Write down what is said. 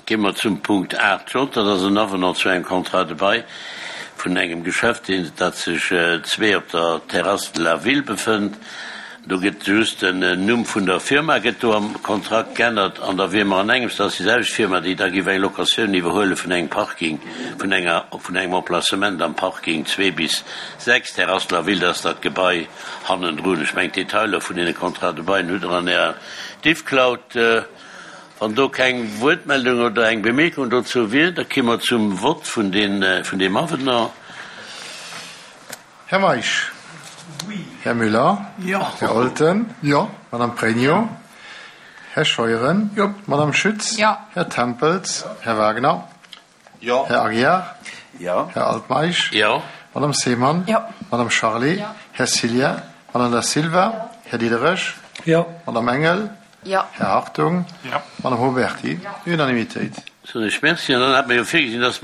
Gi mer zum Punkt 8 J, dat ass en Avenant zu engem Contrat de bail vun engem Geschäft, deen, dat sech zwee op der Terrasse de la Ville befënnt. Do gëtt just den Numm vun der Firma gëtt do am Kontrakt geännert an da wier mer an engems, dat ass déi selwecht Firma, déi da géif eng Locatioun iwwerhuele vun engem Parking, vun enger, vun engem Emplacement am Parking 2 bis 6, Terrasse de la Ville, dat ass dat Gebai hannendrun. Ech mengen, d'Detailer vun deene Contrats de bail hutt Der an Ärer Diffcloud. Wann do keng Wuertmeldung oder eng Bemierkung dozou wier, da ki mer zum Vott vun deem Avenant. Här Meisch. Här Müller. Här Olten. Madame Pregno. Här Scheuren. Madame Schütz. Här Tempels. Här Wagner. Här Aguiar. Här Altmeisch. Madame Seemann. Madame Charlé. Här Cillien. Madame Da Silva. Här Diderich. Madame Engel. Här Hartung. Madame Huberty. Unanimitéit. Soen ech Merci. An dann hat mer jo virgesinn, dass mer.